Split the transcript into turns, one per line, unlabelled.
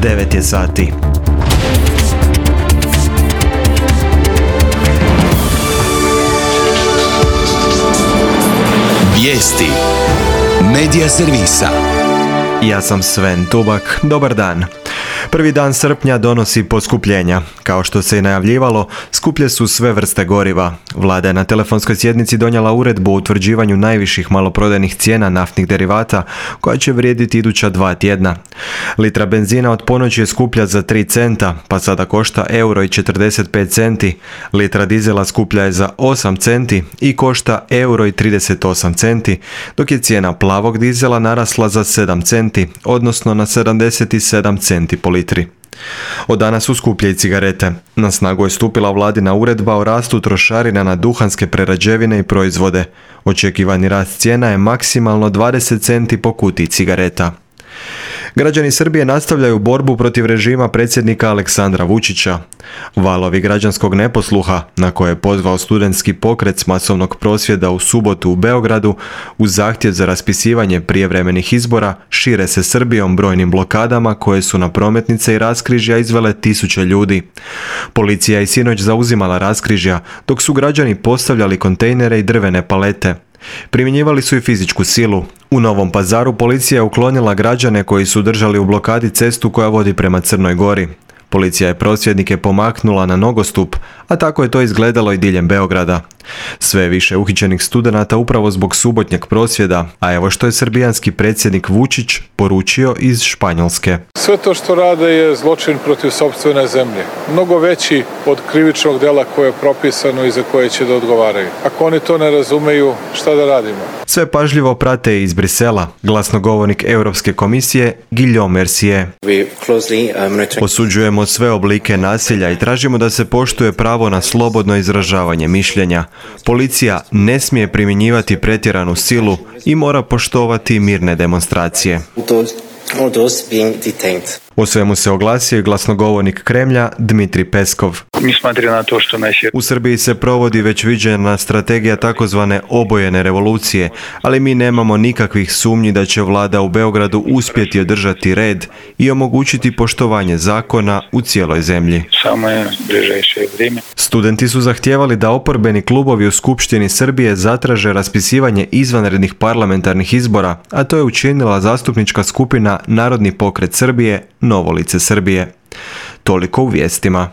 9 je sati.
Vijesti Medija servisa.
Ja sam Sven Tubak, dobar dan. Prvi dan srpnja donosi poskupljenja. Kao što se i najavljivalo, skuplje su sve vrste goriva. Vlada je na telefonskoj sjednici donijela uredbu o utvrđivanju najviših maloprodajnih cijena naftnih derivata, koja će vrijediti iduća 2 tjedna. Litra benzina od ponoći je skuplja za 3 centa, pa sada košta €1,45. Litra dizela skuplja je za 8 centi i košta €1,38, dok je cijena plavog dizela narasla za 7 centi, odnosno na 77 centi po litri. Od danas su skuplje i cigarete. Na snagu je stupila vladina uredba o rastu trošarina na duhanske prerađevine i proizvode. Očekivani rast cijena je maksimalno 20 centi po kutiji cigareta. Građani Srbije nastavljaju borbu protiv režima predsjednika Aleksandra Vučića. Valovi građanskog neposluha, na koje je pozvao studentski pokret s masovnog prosvjeda u subotu u Beogradu, uz zahtjev za raspisivanje prijevremenih izbora, šire se Srbijom brojnim blokadama koje su na prometnice i raskrižja izvele tisuće ljudi. Policija je sinoć zauzimala raskrižja, dok su građani postavljali kontejnere i drvene palete. Primjenjivali su i fizičku silu. U Novom Pazaru policija je uklonila građane koji su držali u blokadi cestu koja vodi prema Crnoj Gori. Policija je prosvjednike pomaknula na nogostup, a tako je to izgledalo i diljem Beograda. Sve je više uhićenih studenata upravo zbog subotnjeg prosvjeda, a evo što je srbijanski predsjednik Vučić poručio iz Španjolske.
Sve to što rade je zločin protiv sopstvene zemlje. Mnogo veći od krivičnog dela koje je propisano i za koje će da odgovaraju. Ako oni to ne razumeju, šta da radimo?
Sve pažljivo prate iz Brisela glasnogovornik Europske komisije Guillaume Mercier. Osuđujemo sve oblike nasilja i tražimo da se poštuje pravo na slobodno izražavanje mišljenja. Policija ne smije primjenjivati pretjeranu silu i mora poštovati mirne demonstracije. O svemu se oglasio i glasnogovornik Kremlja Dmitri Peskov. U Srbiji se provodi već viđena strategija takozvane obojene revolucije, ali mi nemamo nikakvih sumnji da će vlada u Beogradu uspjeti održati red i omogućiti poštovanje zakona u cijeloj zemlji. Studenti su zahtijevali da oporbeni klubovi u Skupštini Srbije zatraže raspisivanje izvanrednih parlamentarnih izbora, a to je učinila zastupnička skupina Narodni pokret Srbije, Novo lice Srbije. Toliko u vijestima.